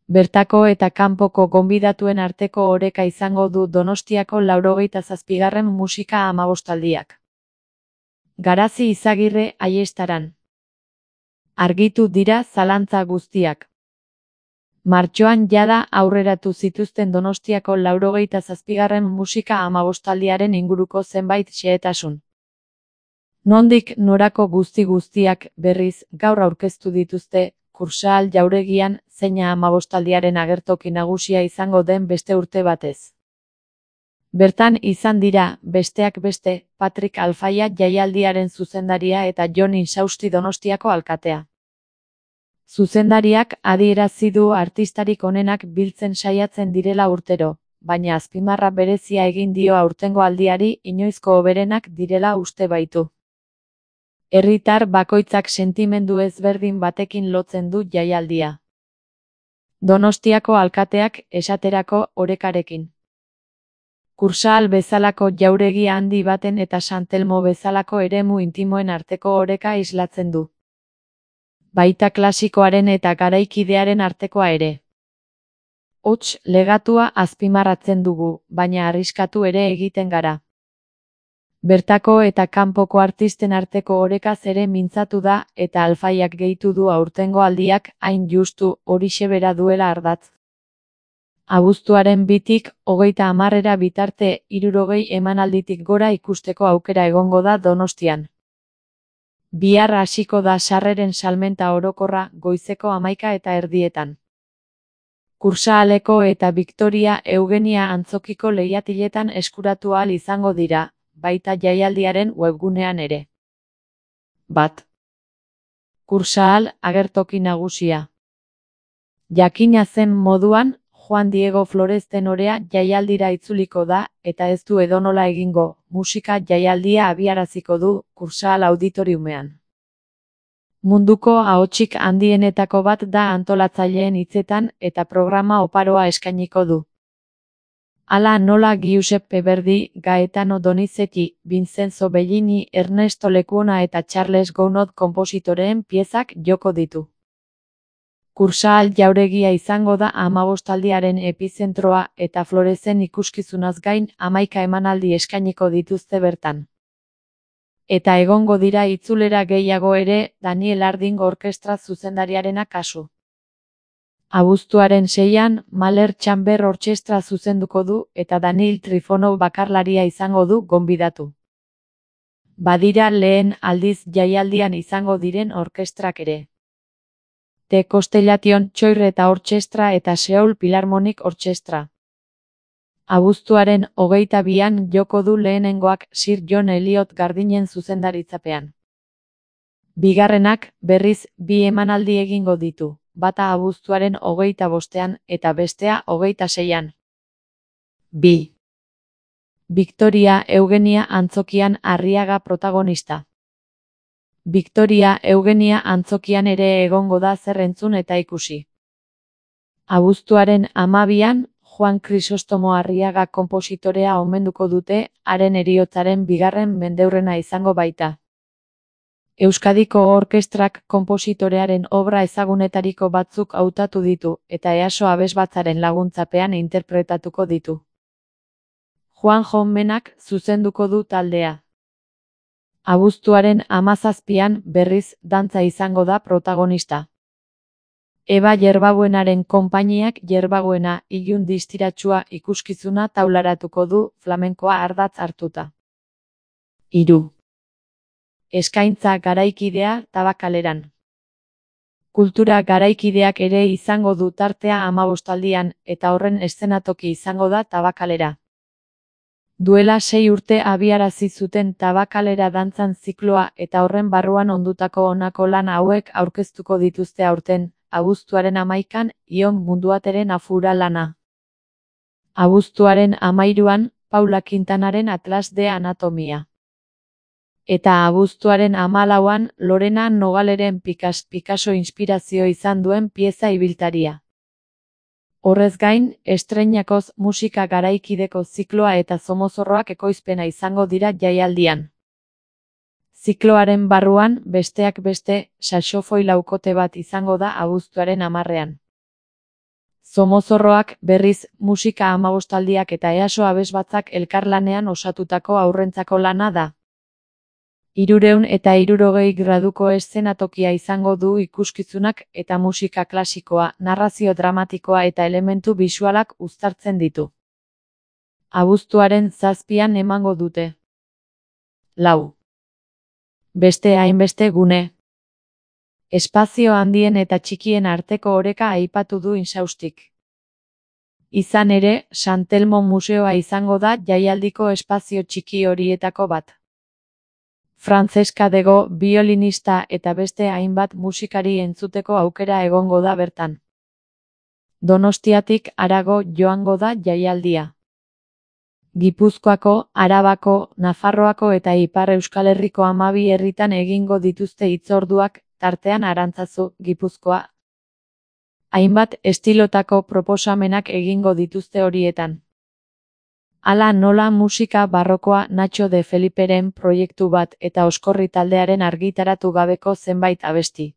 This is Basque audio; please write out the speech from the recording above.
Bertako eta kanpoko gonbidatuen arteko oreka izango du Donostiako 87. musika amabostaldiak. Garazi Izagirre Aiestaran. Argitu dira zalantza guztiak. Martxoan jada aurreratu zituzten Donostiako 87. musika amabostaldiaren inguruko zenbait xehetasun. Nondik norako guztiak berriz gaur aurkeztu dituzte Kursaal jauregian zeina amabostaldiaren agertoki nagusia izango den beste urte batez. Bertan izan dira, besteak beste, Patrik Alfaia jaialdiaren zuzendaria eta Jon Insausti Donostiako alkatea. Zuzendariak adierazi du artistarik onenak biltzen saiatzen direla urtero, baina azpimarra berezia egin dio aurtengo aldiari inoizko hoberenak direla uste baitu. Herritar bakoitzak sentimendu ezberdin batekin lotzen du jaialdia. Donostiako alkateak, esaterako, orekarekin. Kursaal bezalako jauregi handi baten eta Santelmo bezalako eremu intimoen arteko oreka islatzen du. Baita klasikoaren eta garaikidearen artekoa ere. Hots, legatua azpimarratzen dugu, baina arriskatu ere egiten gara. Bertako eta kanpoko artisten arteko orekaz ere mintzatu da eta Alfaiak gehitu du aurtengo aldiak hain justu horixe bera duela ardatz. Abuztuaren 2tik 30 bitarte 60 emanalditik gora ikusteko aukera egongo da Donostian. Bihar hasiko da sarreren salmenta orokorra goizeko 11:30. Kursaaleko eta Victoria Eugenia antzokiko lehiatiletan eskuratu ahal izango dira, baita jaialdiaren webgunean ere. 1. Kursaal agertoki nagusia. Jakina zen moduan, Juan Diego Flores tenorea jaialdira itzuliko da, eta ez du edonola egingo, musika jaialdia abiaraziko du, Kursaal auditoriumean. Munduko ahotsik handienetako bat da antolatzaileen hitzetan eta programa oparoa eskainiko du. Hala nola Giuseppe Verdi, Gaetano Donizetti, Vincenzo Bellini, Ernesto Lekuona eta Charles Gounod konpositoreen piezak joko ditu. Kursaal jauregia izango da amabostaldiaren epizentroa eta Floresen ikuskizunaz gain 11 emanaldi eskainiko dituzte bertan. Eta egongo dira itzulera gehiago ere Daniel Harding orkestra zuzendariarena kasu. Abuztuaren 6an, Mahler Chamber Orchestra zuzenduko du eta Daniil Trifonov bakarlaria izango du gonbidatu. Badira lehen aldiz jaialdian izango diren orkestrak ere. The Constellation Choir Orchestra eta Seoul Philharmonic Orchestra. Abuztuaren 22an joko du lehenengoak Sir John Eliot Gardinen zuzendaritzapean. Bigarrenak, berriz, 2 emanaldi egingo ditu. Bata abuztuaren 25an eta bestea 26an. 2. Victoria Eugenia antzokian Arriaga protagonista. Victoria Eugenia antzokian ere egongo da zer entzun eta ikusi. Abuztuaren 12an, Juan Crisostomo Arriaga konpositorea omenduko dute, haren heriotzaren 2. mendeurrena izango baita. Euskadiko orkestrak konpositorearen obra ezagunetariko batzuk hautatu ditu eta EASO abesbatzaren laguntzapean interpretatuko ditu. Juan Menak zuzenduko du taldea. Abuztuaren 17an berriz dantza izango da protagonista. Eba Yerbabuenaren konpainiak Yerbabuena ilun distiratsua ikuskizuna taularatuko du flamenkoa ardatz hartuta. 3. Eskaintza garaikidea Tabakaleran. Kultura garaikideak ere izango du tartea amabostaldian eta horren eszenatoki izango da Tabakalera. Duela 6 urte abiarazi zuten Tabakalera dantzan zikloa eta horren barruan ondutako honako lan hauek aurkeztuko dituzte aurten, abuztuaren 11an, Ion Munduateren Afura lana. Abuztuaren 13an, Paula Quintanaren Atlas de Anatomia. Eta abuztuaren 14an, Lorena Nogaleren Picasso inspirazio izan duen pieza ibiltaria. Horrez gain, estreinakoz musika garaikideko zikloa eta Somozorroak ekoizpena izango dira jaialdian. Zikloaren barruan, besteak beste, saxofoi laukote bat izango da abuztuaren 10ean. Zomozorroak, berriz, musika amabostaldiak eta EASO abesbatzak elkarlanean osatutako haurrentzako lana da. 360 graduko eszenatokia izango du ikuskizunak eta musika klasikoa, narrazio dramatikoa eta elementu bisualak uztartzen ditu. Abuztuaren 7an emango dute. 4. Beste hainbeste gune. Espazio handien eta txikien arteko oreka aipatu du Insaustik. Izan ere, San Telmo museoa izango da jaialdiko espazio txiki horietako bat. Francesca Dego, biolinista eta beste hainbat musikari entzuteko aukera egongo da bertan. Donostiatik harago joango da jaialdia. Gipuzkoako, Arabako, Nafarroako eta Ipar Euskal Herriko 12 herritan egingo dituzte hitzorduak, tartean Arantzazu, Gipuzkoa. Hainbat estilotako proposamenak egingo dituzte horietan. Hala nola musika barrokoa Nacho de Feliperen proiektu bat eta Oskorri taldearen argitaratu gabeko zenbait abesti.